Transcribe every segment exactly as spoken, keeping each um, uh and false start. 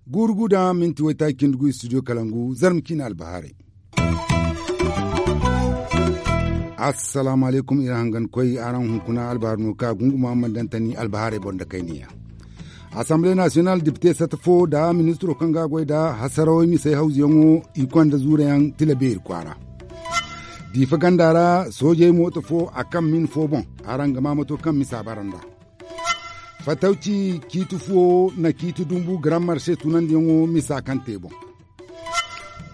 Guuru gu da minti waytaaci cindi gu studio kalangu zarma ciine albahaarey. Assalaamu alaykum iri hangan koy araŋ hunkuna albahaari no ka gunguma man dantani albahaarey boŋ da kayniya. Assemblée nationale dipite sata fo nda ministiro kaŋ ga a goy nda hasarawey misey hawzuyaŋo i konda zuurayaŋ tila beeri kwaara. Diifa ganda ra soojey mooto fo a kaŋ min fo boŋ. Araŋ ga ma mato kaŋ misa bara nd'a. Fatawci ciiti fuwo na ciiti dumbu garammarse tunandiyaŋo misa kaŋ te boŋ.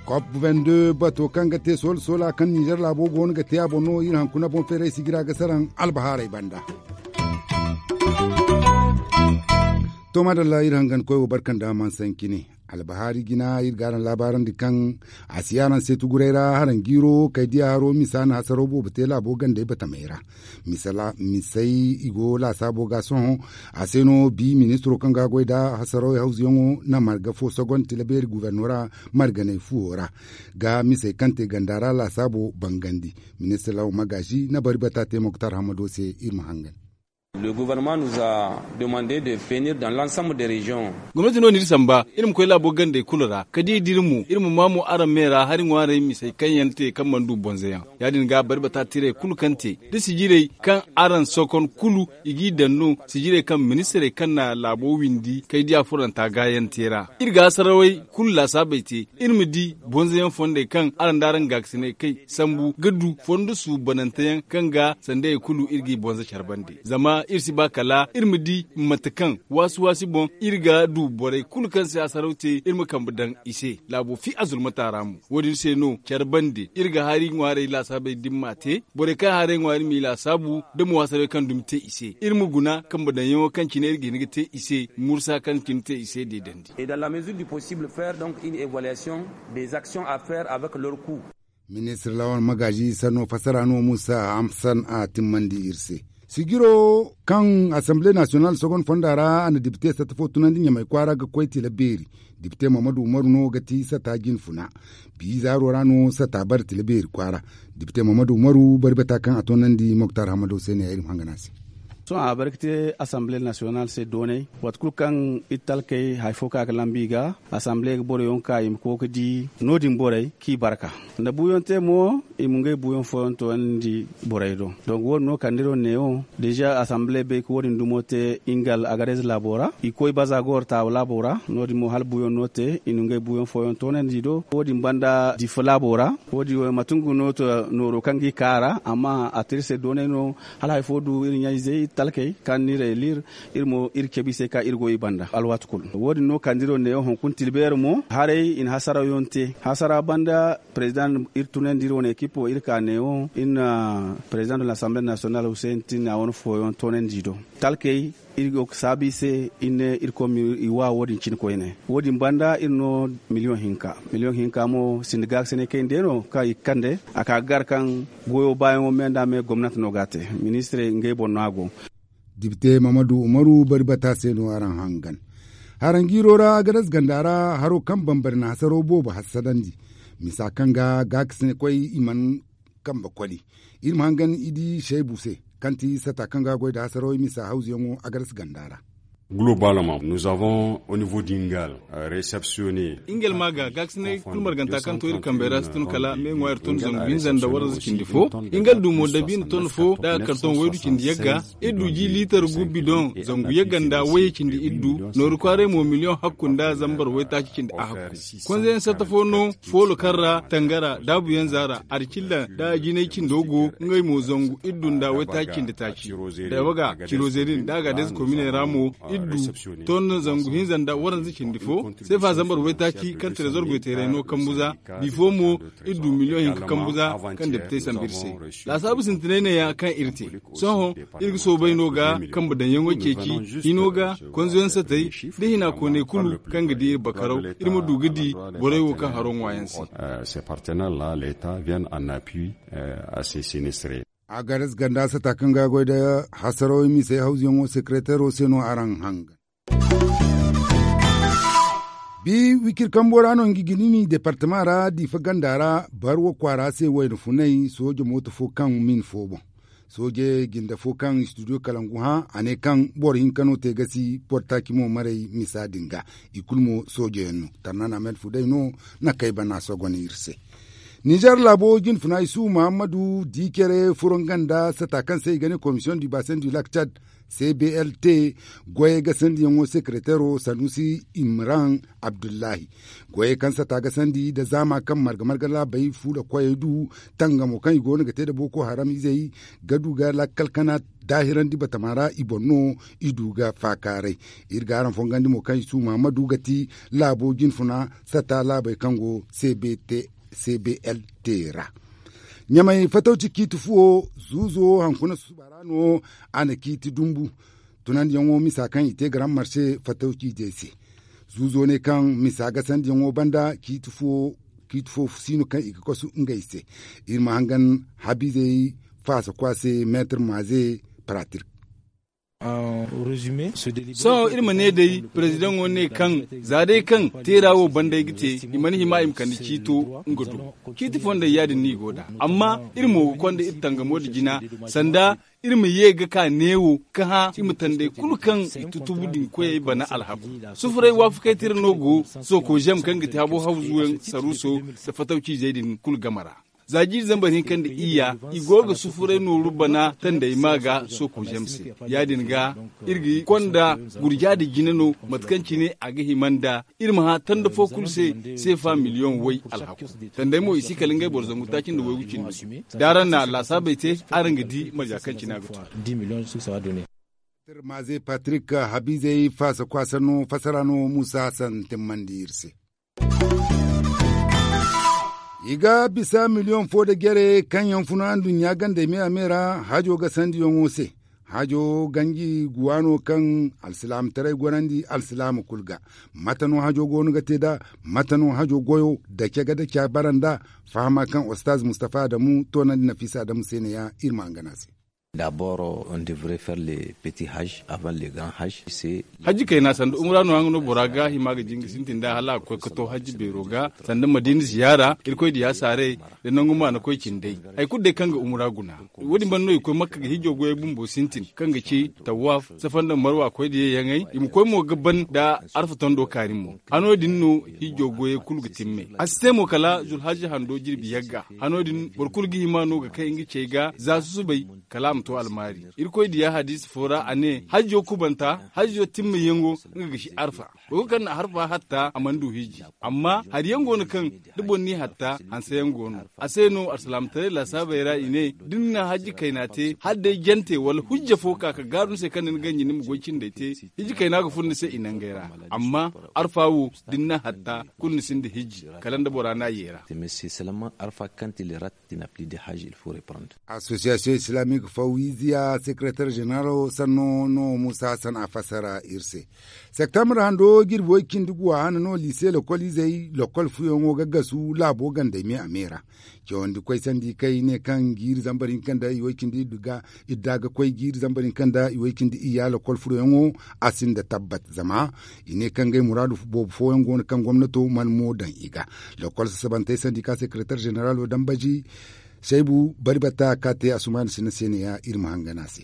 Kop vingt-deux bato kaŋ ga te soola soola kaŋ ninzeer laabo go no ga te a boŋ no iri hankuna boŋ feeray sijira ga saraŋ albahaarey banda. To madalla iri hangan koy wo barkan da man sankine. Albahaari jina iri ga araŋ laabaarandi kaŋ a si araŋ se tuguray ra haraŋ jiiro kay diya haro misa na hasaro boobo te laabo gandey batamey ra. Misey i go laasaabo ga sohõ a se no bi ministiro kaŋ ga goy nda hasaro hawzuyaŋo na marga fo sogonti labeeri guberno ra marganey fuwo ra ga misey kaŋ te ganda ra laasaabo bangandi. Ministir lawo magaazi na bari bata te moktar hamado se iri ma hangan. Le gouvernement nous a demande de venir dans l'ensemble des régions. Gomnati no n'iri samba iri ma koy laabo gandey kulu ra ka di d'iri mo iri ma ma mo araŋ me ra hari ŋwaarey misey kaŋ yaŋ te kaŋ mana du bonzoyaŋ. Ya- din ga bari bata tirey kulu kaŋ te da sijirey kaŋ araŋ sokon kulu i g'i daŋ no sijirey kaŋ ministirey kaŋ na laabo windi kay diya furanta gaayaŋ te ra. Iri ga hasarawey kulu laasaabey te iri ma di bonzoyaŋ fondey kaŋ araŋ da araŋ gaakasiney kay sambu ga du fondo suubananteyaŋ kaŋ ga sandayey kulu iri g'i bonzo care bande zama iri si ba kala iri ma di mate kaŋ waasi waasi boŋ iri ga du borey kulu kaŋ si hasaraw te iri ma kambe daŋ i se laabo fi a zulmata ra mo. Wo- din se no care bande iri ga hari ŋwaarey laasaabey dimma te borey kaŋ haray ŋwaari m'i laasaabu da mo hasaraw kaŋ dumi te i se iri ma guna kambe daŋyaŋo kaŋ cine iri ga hin ga te i se mursa kaŋ cine te i se deedandi. Et dans la mesure du possible faire donc une évaluation des actions à faire avec leur coût. Ministir lawan magaazi sanno fassara no musa hamsan a timmandi iri se. Sijiro kaŋ assemblée nationale sogon fonda ra a na dipite satta fo tunandi ɲamay kwaara ga koy tila beeri. Dipite mamadu umaru no ga ti sata jinfuna. Biizaaro ra no sata bare tila beeri kwaara. Dipite mamadu umaru bari bata kaŋ a toonandi moktar hamado se ne ya iri ma hangana se. Sohõ a bare ga te assemblée nationale se doonay waati kulu kaŋ iri talkey hari fo ka ga lambu i ga. Assemblée ga boroyaŋ ka i ma koy ga di no- din borey kaŋ i barka nda buuyaŋ te mo i ma ngey buuyaŋ fooyaŋ toonandi borey do. Donk wo- din no kala nda iri wo neewo deeza assemblée bay ga wo- din dumo te ingal agarez laabo ra i koy baza gooro taawa laabo ra no- din mo hala buuyaŋ no te i na ngey buuyaŋ fooyaŋ toonandi i do wo- din banda difa laabo ra. Wo- din mate nga no to nooro kaŋ ga i ka a ra amma a te iri se doonay no. Hala hari fo du iri ɲa-izey talkey kaŋ no iri ay liir iri mo iri cabe i se ka iri goy i banda alwaati kulu wo- din no kala nda iri wo neewo hunkuna tilbeeri mo haray i na hasaraw yaŋ te hasara banda. Président iri tunandi iri wane ekipo iri ka neewo iri na président de l'assemblée nationale hussein tinna wane fooyaŋ toonandi i do. Talkey iri go ga saabu i se iri ne irkoy ma i wa wo- din cine koyne wo- din banda iri no miliyoŋ hinka. Miliyoŋ hinka mo sinda gaakasinay kayna day no kaŋ i ga kande a ka ga gar kaŋ goyo baayaŋo me nda me gomnati no ga a te. Ministirey ngey boŋ no a go. Dibite mamadu umaru bari bata se no araŋ hangan. Haraŋ jiiro ra agadas ganda ra haro kaŋ bambari na hasaro boobo hassadandi. Misa kaŋ ga gaakasinay koy i mana kambe koli. Iri ma hangan i di shaybu se kaŋ ti sata kaŋ ga goy nda hasarawey misa hawzuyaŋo agadas ganda ra. Globalama nous avons au niveau dingal receptionne. Ingal ma ga gaakasinay kulu marganta kaŋ to iri kambey ra si tun kala me ŋwa iri ton zangu hinza nda waranza cindi fo. Ingal du mo dabiina ton fo nda karton waydu cindi yagga. Iri du ji liitar gu bidoŋ zangu yagga nda wayye cindi iri du. Nooru kwaaray mo miliyoŋ hakku nda zambar waytaaci cindi a hakku. Konzeyaŋ satta fo no foolo kaŋ ra tangara daabuyaŋ zaara arcilla nda jinay cindo go. Ngey mo zangu iri du nda waytaaci cindi taaci. Dabaga ciroze din da a ga deesa kominey ra mo iri du ton zangu hinza nda waranza cindi fo. Seefa zambar waytaaci kaŋ trezor goyteeray no kambu za. Bifo mo iri du miliyoŋ hinka kambu za kaŋ depitey sambu iri se. Laasaabu sintinay neeya kaŋ iri te. Sohõ iri ga soobay no ga kambe daŋyaŋo ceeci hino ga konzoyaŋ satay da hina kooney kulu kaŋ ga di iri bakaraw iri ma du ga di borey wo kaŋ haro ŋwaayaŋ se. Ces partenaires là l'état viennent en appui à ces sinistrés. Agares ganda sata kaŋ ga goy nda hasarawey misey hawzuyaŋo sekreteero se no araŋ hangan. Bi wikir kambo ra no nga gini ni departama ra diifa ganda ra barwa kwaara se wayna funay sooja mooto fo kaŋ min fo boŋ. Sooje jinde fo kaŋ studio kalangu hã a ne kaŋ boro hinka no te ga si boro taaci mo maray misa din ga. I kulu mo sooje yaŋ no tarnan ahmed fuday no na kay bana sogon iri se. Nizer laabo jinfuna isu muhammadu di care furo nga nda sata kaŋ se i ga ne komisiyoŋ du basen du lak cad, cblt goyey ga sandiyaŋo sekeretero sanusi imran abdullahi. Goyey kaŋ sata ga sandi nda zaama kaŋ marga marga laabey fuula koyey du tangamo kaŋ i go no ga te nda boko haram izey ga du ga lakkal kana daahirandi batama ra i boŋ no. I du ga faakaaray. Iri ga araŋ fongandi mo kaŋ i su muhammadu ga ti laabo jinfuna sata laabey kaŋ go cbt cblt ra. Ɲamay fatawci ciiti fuwo zuuzo hankuna susuba ra no a na ciiti dumbu. Tunandiyaŋo misa kaŋ i te garam marse fatawci jey se. Zuuzo ne kaŋ misa gasandiyaŋo banda ciiti fuwo ciiti fuwo si no kaŋ i ga kasu ngey se. Iri ma hangan habiizey faasa kwa se meetar maaze paratir. Sohõ iri ma ne day, perezidaŋo ne kaŋ za day kaŋ teera wo banda ay ga te, i mana hima i ma kande ciito nga do. Ciiti fondey ya- din no i go nd'a. Amma iri mo ga konda iri tangamo nda jina sanda iri ma ye ga ka neewo ka hã i ma tandey kulu kaŋ i tutubu din koyey bana alhaku. Sufuray waafakay tira no go soko zem kaŋ ga ti habo hawzuyaŋ saruuso nda fatawciizey din kulu game ra. Za jiiri zambar hinka nda iyya i go ga sufuray nooru bana tandey ma ga soko zem se. Ya- din ga iri ga konda gurja nda jina no mate kaŋ cine a ga hima nda iri ma hã tanda fo kulu se seefa miliyoŋ way alhaku. Tandey mo i si kala ngey boro zangu taaci nda waygu cindi. Da araŋ na laasaabey te, araŋ ga di marja kaŋ cine a ga tun. Maaze patrik habiizey faasa kwaasa no fasara no muusa santimmandi iri se. I ga bisa miliyoŋ fo nda jere kaŋ yaŋ funa nduɲɲa gandey me a me ra hajo ga sandiyaŋo se. Hajo ganji guwa no kaŋ alsilaamataray gorandi alsilaama kulu ga. Mate no hajo go no ga te nd'a? Mate no hajo goyo dace ga dace a bara nd'a? Fahama kaŋ ostaz mustafa adamu toonandi nafisa adamu se ne- ya iri ma hangan a se. Daboro on devrait faire le petit haj avant le grand haj. Hajji kayna sanda umra no haŋ no bora ga hima ga jinga sintin da hala a ga koy ga to hajji beero ga sanda madina ziyaara irkoy diya saaray da nangu ma na koy cindey. Hari kulu day kaŋ ga umra guna wo- din banda no i ga koy makka ga hijjo goyey bumbo sintin kaŋ ga ci tawaaf safa nda marwa koy diya yaŋey i ma koy mo ga ban nda arfa tondo kaani mo. Hano din no hijjo goyey kulu ga timmay a si te mo kala zulhajji hando jirbi yagga. Hano din boro kulu ga hima no ga kay nga cey ga za susubay kala a ma to almaari. Irkoy diya hadiisa fo ra a ne hajjo kubanta hajjo timmayaŋo nga ga si arfa. Boro kulu kaŋ na harfa hatta a mana du hijji. Amma hari yaŋ go no kaŋ da boro n'i hatta hanse yaŋ go no. A se no alsilaamataray laasaabey ra i ne da ni na hajji kayna te hala day jante wala hujja fo ka ka gaaru ni se kaŋ da ni ganji ni ma goy cindey te. Hijji kayna ga furo ni se i nangey ra. Amma arfa wo da ni na hatta kulu ni sinda hijji kala nda bora n'a yeera. Association islamique fawiziya secretaire général sanno no musa hassan a fassara iri se. Septembre hando jirbi way cindi guwa hana no liise lokol izey lokol fuyaŋo ga gasu laabo gandey me a me ra. Cawandi koy sandi kay ne kaŋ jiiri zambar hinka nda i way cindi idda ga koy jiiri zambar hinka nda i way cindi iyya lokol furoyaŋo a sinda tabbat zama i ne kaŋ ngey muraadu boobo fooyaŋ go no kaŋ gomnato mana mo daŋ i ga. Lokol sasabantey sandika sekretar ženeralo dambaji saybu bari batta ka te asumaana sina se ne ya iri ma hangan a se.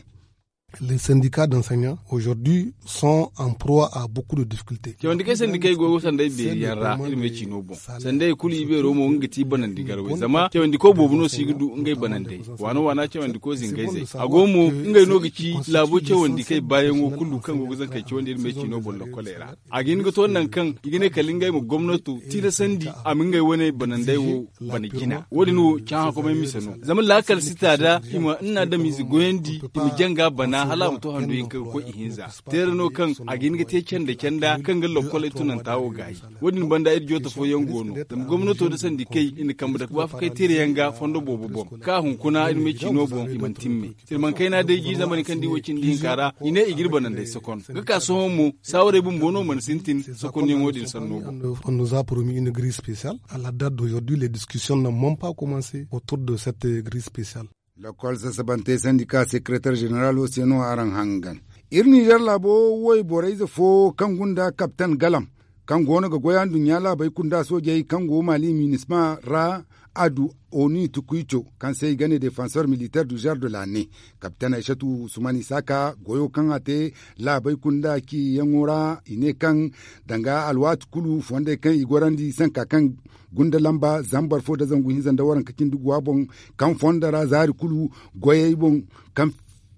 Les syndicats d'enseignants aujourd'hui sont en proie à beaucoup de difficultés. Cawandi kay sandikey go sanda ay beeri yaŋ ra iri ma ay ci no boŋ. Sanda ay kulu ibeero mo nga ga ti banandi garwey zama cawandi ko boobo no si ga du ngey banandey. Waana waana cawandi ko zingay zey a go mo ngey no ga ci laabo cawandi kay baayaŋo kulu kaŋ go ga zankey cawandi iri ma ay ci no boŋ lokkoley ra. A ga hin ga to nangu kaŋ i ga ne kala ngey ma gomnato tilasandi a ma ngey wane banandey wo bana jina wo- din wo cahã komay mise no. Zama laakal si ta da i ma nna adamize goyandi i ma janga bana hala a ma to hando hinka ga koy ihinza. Teera no kaŋ a ga hin ga te canda canda kaŋ ga lokkoley tunanta wo gaayi. Wo- din banda iri joota fooyaŋ go no zama gomnato nda sandikey i na kambe dake waafakay teerayaŋ ga fondo boobo boŋ kaŋ a hunkuna iri ma ay ci no boŋ i mana timme. Sirmankayna day jiiri zambar hinka nda i way cindi hinka ra i ne i ga iri banandey sokon ga ka sohõ mo saawarey bumbo no mana sintin sokonyaŋo din sanno boŋ. On nous a promis une grille spéciale. À la date d'aujourd'hui les discussions n'ont même pas commencé autour de cette grille spéciale. Lokol sasabantey sandika sekretar ženeralo se no araŋ hangan. Iri ninzeer laabo woy borey ze fo kaŋ gunda kaptan galam kaŋ go no ga goy anduɲɲa laabey kunda soojey kaŋ go maali minisma ra, a du onu tukuico kaŋ se i ga ne defansor militer du zer de la ne. Kapten aysatu usman isaaka goyo kaŋ a te laabey kunda ciyaŋo ra, i ne kaŋ danga alwaati kulu fondey kaŋ i gorandi sanka kaŋ gunda lamba zambar fo nda zangu hinza nda waranka cindi guwa boŋ, kaŋ fondo ra zaari kulu goyey boŋ, kaŋ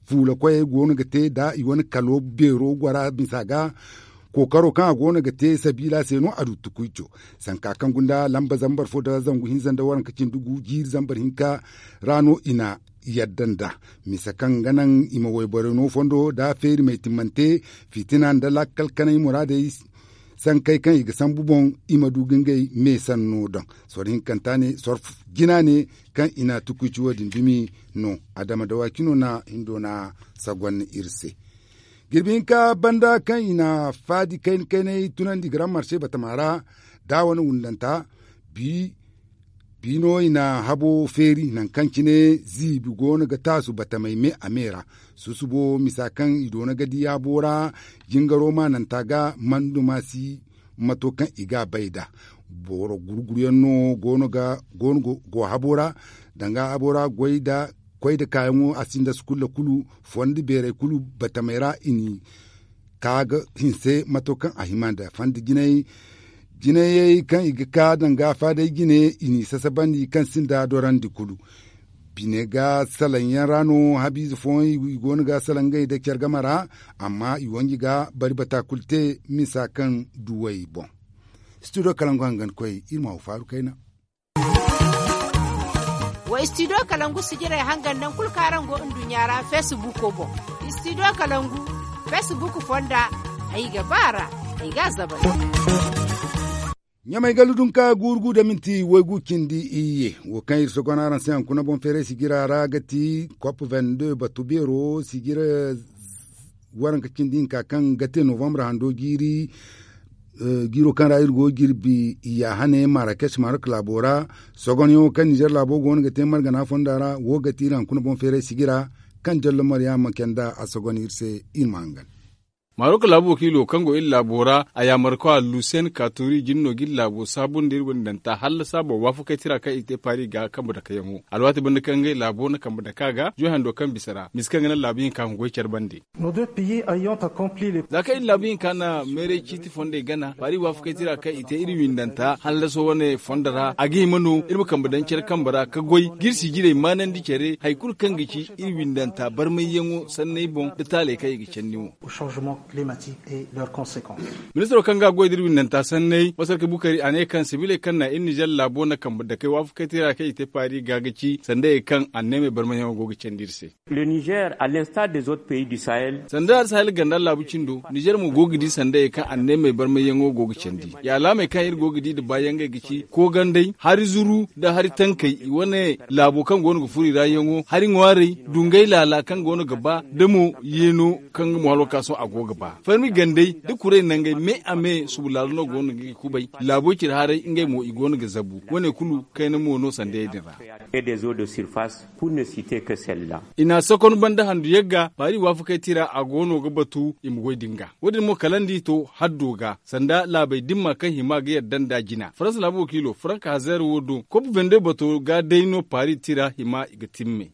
fuula koyey go no ga te nda i wane kalo beero gora misa ga. Kookaro kaŋ a go no ga te sabiila se no a du tukuico, sanka kaŋ gunda lamba zambar fo nda zangu hinza nda waranka cindi gu jiiri zambar hinka ra no i na yadda nd'a, misa kaŋ ga naŋ i ma wayborey no fondo nda feeri may timmante, fitina nda lakkal kanay muraadey sankey kaŋ i ga sambu boŋ, i ma du ga ngey me sanno daŋ. Soro hinkanta ne soro jina ne kaŋ i na tukuici wo- din dumi no. Adama dawaaki no na hindo na sagon iri se. Jirbi hinka banda kaŋ i na faadi kayna kaynay tunandi ga ram marse batama ra, da wane wundanta bi biino i na habo feeri nangu kaŋ cine ziibi go no ga taasu batamey me a me ra. Susubo misa kaŋ i doona ga di habo ra, jingaro maananta ga mandu ma si mato kaŋ i ga a bay nd'a. Boro gurguruyaŋ no go no ga go no go habo ra, danga habo ra goy nda koy nda kaayaŋo a sinda sukulla kulu, fondi beerey kulu batamey ra i n'i ka ga hinse mato kaŋ a hima nda fondi jinayey kaŋ i ga ka danga faadey jine, i n'i sasabandi kaŋ sinda dorandi kulu. Bine ga salaŋ yaŋ ra no habiize fooyaŋ i go no ga salaŋ ngey nda care game ra, amma i wanji ga bari bata kulu te misa kaŋ duwey boŋ. Studio kalangu hangan koy iri ma wa faaru kayna. Wa studio kalangu sijirey hangan naŋ kulu kaŋ araŋ go nduɲɲa ra facebook boŋ. Studio kalangu facebook fonda ay ga ba ra ay ga a zabay. Ɲamay gallu dunka guuru gu da minti waygu cindi iyye wo kaŋ iri sogon araŋ se hankuna boŋ feeray sijira ra ga ti kop vende batu beero sijira waranka cindi hinka kaŋ ga te novambre hando jiiri. Jiiro kaŋ ra iri go ga jirbi ya hane marakes marok laabo ra. Sogonyaŋo kaŋ nizer laabo go no ga te margana fonda ra wo ga ti iri hankuna boŋ feeray sijira kaŋ jallo maryaama kenda a sogon iri se iri ma hangan. Marok laabu wakiilo kaŋ go iri laabo ra a yaamar kwa lusen katori jine no ga iri laabo saabundi iri windanta hallasa boro waafakay tira kaŋ i te paari ga kambe dakayaŋo alwaati banda kaŋ ngey laabo na kambe daka ga joy hando kaŋ bisa ra misa kaŋ ga naŋ laabu hinka hungoy care bande. Za kaŋ iri laabu hinka na meeray ciiti fondey gana paari waafakay tira kaŋ i te iri windanta hallaso wane fondo ra a ga hima no iri ma kambe daŋ care kambe ra ka goy ga iri sijirey maanandi care hari kulu kaŋ ga ci iri windanta barmayyaŋo sanney boŋ nda taaley kaŋ i ga candi mo. Ministiro kaŋ ga a goy da iri windanta sanney masarka bukari a ne kaŋ sabiiley kaŋ na iri nizer laabo na kambe dakey waafakay tira kaŋ i te paari ga ga ci sanda ye kaŋ anneemey barmayyaŋo go ga candi iri se. Sanda alsahel ganda laabu cindo nizer mo go ga di sanda ye kaŋ anneemey barmayyaŋo go ga candi ya alaamey kaŋ iri go ga di nda baayangey ga ci koogandey hari zuru nda hari tankey i wane laabo kaŋ go no ga furo i ra yaŋo hari ŋwaarey dungay laala kaŋ go no ga ba da mo yeeno kaŋ ga mo halo ka sohõ a go ga ba farmi gandey da kuray nangey me a me subu laalo no go no ga i kubay laabo cire haray ngey mo i go no ga zabu wane kulu kayna mo no sandayey din ra. I na sakon banda handu yagga paari waafakay tira a go no ga batu i ma goy din ga wo- din mo kala nda i to haddo ga sanda laabey dimma kaŋ hima ga yadda nda jina faransa laabu wakiilo faranka hazeer wo do kop vende bato ga day no paari tira hima i ga timme.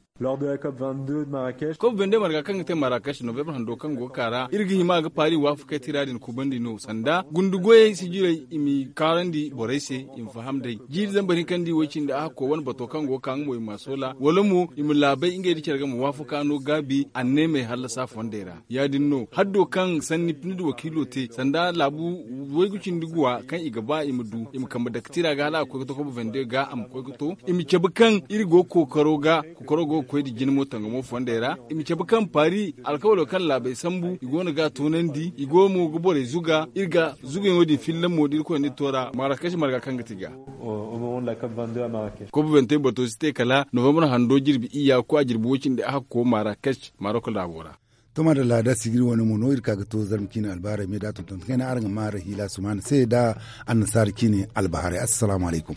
Kop vende marga kaŋ ga te marrakech novembre hando kaŋ go ga ka ra iri ga hima ga paari waafakay tira din kubandi no sanda gundu goyey sijirey i m'i kaarandi borey se i ma faham day jiiri zambar hinka nda i way cindi a hakko wane bato kaŋ go ga ka nga mo i ma a soola wala mo i ma laabay ngey nda care ga ma waafaka no gaabi anneemey hallasa fondey ra ya- din no haddo kaŋ sanni pnid wakiilo te sanda laabu waygu cindi guwa kaŋ i ga ba i ma du i ma kambe dake tira ga hala a ga koy ga to kobo vende ga a ma koy ga to i ma cabe kaŋ iri go kookaro ga kookaro go ga koy nda jine mo tangamo fondey ra i ma cabe kaŋ paari alkawalo kaŋ laabey sambu i go no ga a toonandi i go mo ga borey zuga iri ga zugayaŋo din filla mo da irkoy na iri to ra marrakech marga kaŋ ga ti ga. Kobo vente bato si te kala novembre hando jirbi iyya ga koy a jirbi way cindi a hakko marrakech marok laabo ra. To madalla da sijiri wane mo no iri ka ga to zarma ciine albaharay me da tonton kayna araŋ ga ma ra hiila sumaana se da annasaara ciine albaharay assalamu alaykum.